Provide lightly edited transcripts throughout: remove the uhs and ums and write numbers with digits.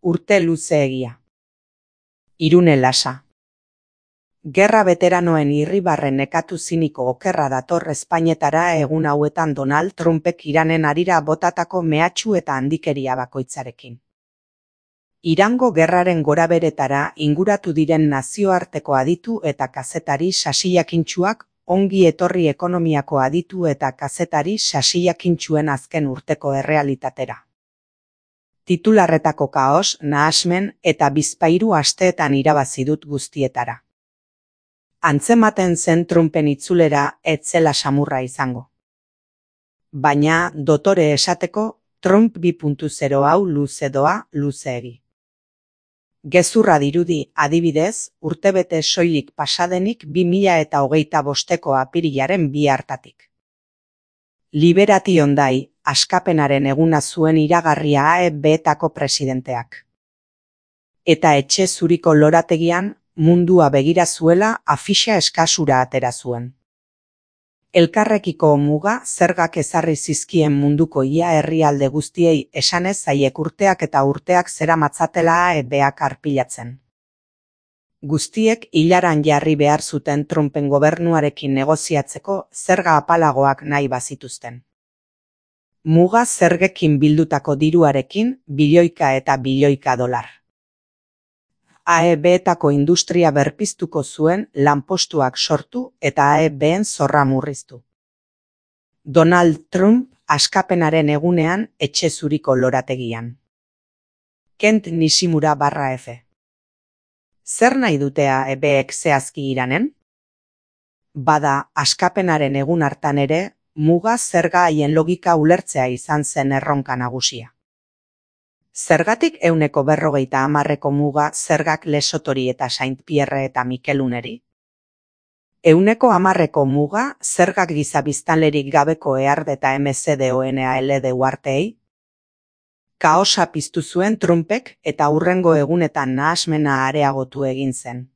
Urte luzeegia. Irune lasa. Gerra veteranoen irribarre nekatu ziniko okerra dator Espainetara egun hauetan Donald Trumpek Iranen harira botatako mehatxu eta handikeria bakoitzarekin. Irango gerraren goraberetara inguratu diren nazioarteko aditu eta kazetari sasiakintsuak ongi etorri ekonomiako aditu eta kazetari sasiakintsuen azken urteko errealitatera. Titularretako kaos, nahasmen eta bizpahiru asteetan irabazi dut guztietara. Antzematen zen Trumpen itzulera ez zela samurra izango. Baina, dotore esateko, Trump 2.0 hau luze doa, luzeegi. Gezurra dirudi, adibidez, urtebete soilik pasadenik 2025ko apirilaren 2 hartatik. Liberation Day, askapenaren eguna zuen iragarria AEB-etako presidenteak. Eta etxe zuriko lorategian, mundua begira zuela afixa eskasura atera zuen. Elkarrekiko muga zergak ezarri zizkien munduko ia herrialde guztiei esanez zaiek urteak eta urteak zeramatzatela AEB-ak arpilatzen. Guztiek hilaran jarri behar zuten Trumpen gobernuarekin negoziatzeko zerga apalagoak nahi bazituzten. Muga zergekin bildutako diruarekin bilioika eta bilioika dolar. AEB-etako industria berpiztuko zuen lanpostuak sortu eta AEB-en zorra murriztu. Donald Trump askapenaren egunean etxe zuriko lorategian. Kent Nishimura /F. Zer nahi dute AEB-ek zehazki Iranen? Bada, askapenaren egun hartan ere, muga zerga haien logika ulertzea izan zen erronka nagusia. Zergatik 150% muga zergak Lesotori eta Saint Pierre eta Mikeluneri? 110% muga zergak giza biztanlerik gabeko EARD eta MCDONALD uharteei? Kaosa piztu zuen Trumpek eta hurrengo egunetan nahasmena areagotu egin zen.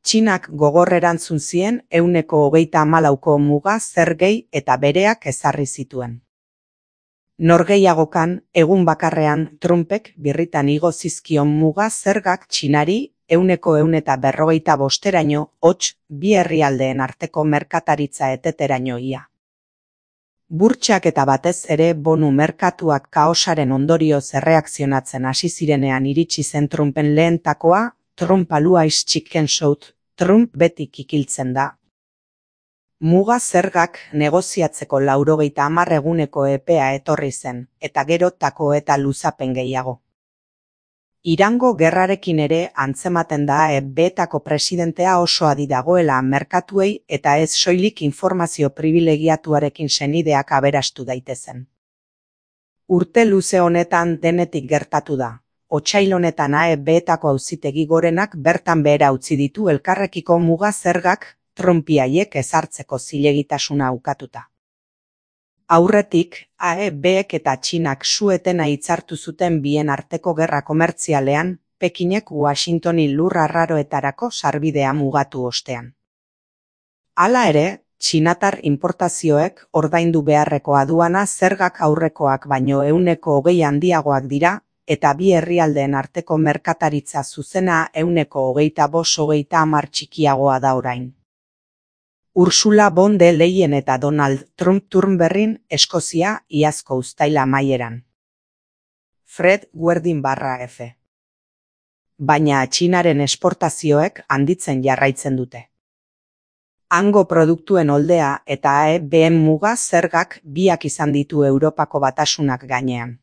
Txinak gogor erantzun zien 134% muga zergei eta bereak ezarri zituen. Norgehiagokan, egun bakarrean Trumpek birritan igo zizkion muga zergak Txinari 145%eraino hots bi herrialdeen arteko merkataritza eteteraino ia. Burtsak eta batez ere bonu merkatuak kaosaren ondorioz erreakzionatzen hasi zirenean iritsi zen Trumpen lehentakoa, Trump always chicken soup, Trump beti kikiltzen da. Muga zergak negoziatzeko 90 eguneko epea etorri zen, eta gero tako eta luzapen gehiago. Irango gerrarekin ere antzematen da AEB-etako presidentea oso adi dagoela merkatuei eta ez soilik informazio pribilegiatuarekin senideak aberastu daitezen. Urte luze honetan denetik gertatu da. Otsail honetan AEB-etako auzitegi gorenak bertan behera utzi ditu elkarrekiko muga zergak Trumpiaiek ezartzeko zilegitasuna ukatuta. Aurretik, AEB-ek eta Txinak su-etena hitzartu zuten bien arteko gerra komertzialean, Pekinek Washingtoni lur arraroetarako sarbidea mugatu ostean. Hala ere, txinatar importazioek ordaindu beharreko aduana zergak aurrekoak baino 120 handiagoak dira, eta bi herrialdeen arteko merkataritza zuzena 125-130 txikiagoa da orain. Ursula von der Leyen eta Donald Trump Turnberrin, Eskozia, iazko uztaila amaieran. Fred Guerdin /F. Baina Txinaren esportazioek handitzen jarraitzen dute. Hango produktuen oldea eta AEB-en muga zergak biak izan ditu Europako Batasunak gainean.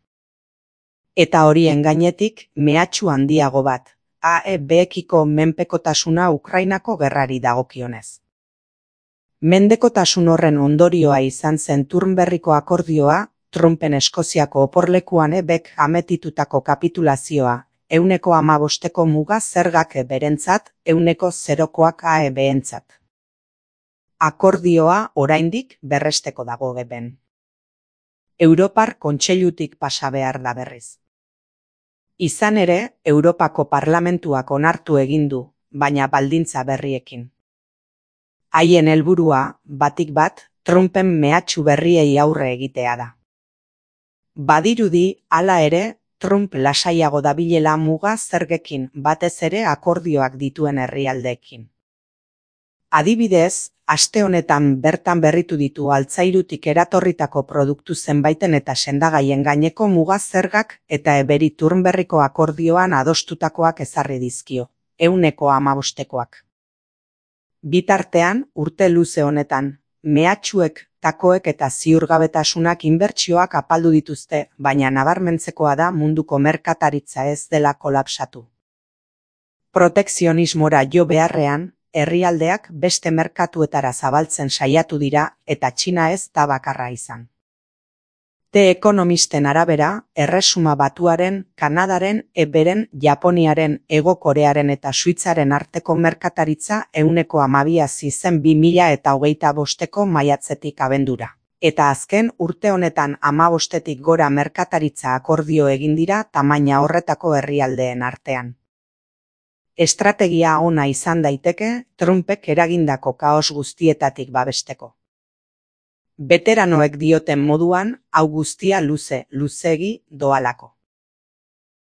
Eta horien gainetik mehatxu handiago bat, AEB-ekiko menpekotasuna Ukrainako gerrari dagokionez. Mendekotasun horren ondorioa izan zen Turnberriko akordioa, Trumpen Eskoziako oporlekuan ebek ametitutako kapitulazioa, 115% muga zergak berentzat, 100%koak AEB-entzat. Akordioa oraindik berresteko dago geben. Europar Kontseilutik pasa behar da berriz. Izan ere, Europako Parlamentuak onartu egin du, baina baldintza berriekin. Haien helburua, batik bat, Trumpen mehatxu berriei aurre egitea da. Badirudi, hala ere, Trump lasaiago dabilela muga zergekin, batez ere akordioak dituen herrialdeekin. Adibidez, aste honetan bertan berritu ditu altzairutik eratorritako produktu zenbaiten eta sendagaien gaineko muga zergak eta eberi Turnberriko akordioan adostutakoak ezarri dizkio, 15%koak. Bitartean, urte luze honetan, mehatxuek, takoek eta ziurgabetasunak inbertsioak apaldu dituzte, baina nabarmentzekoa da munduko merkataritza ez dela kolapsatu. Protekzionismora jo beharrean, herrialdeak beste merkatuetara zabaltzen saiatu dira eta Txina ez da bakarra izan. The Economisten arabera, Erresuma Batuaren, Kanadaren, Eberen, Japoniaren, Hego Korearen eta Suitzaren arteko merkataritza 12% hazi zen 2025ko maiatzetik abendura. Eta azken urte honetan 15-tik gora merkataritza akordio egin dira tamaina horretako herrialdeen artean. Estrategia ona izan daiteke Trumpek eragindako kaos guztietatik babesteko. Beteranoek dioten moduan, hau guztia luzeegi doalako.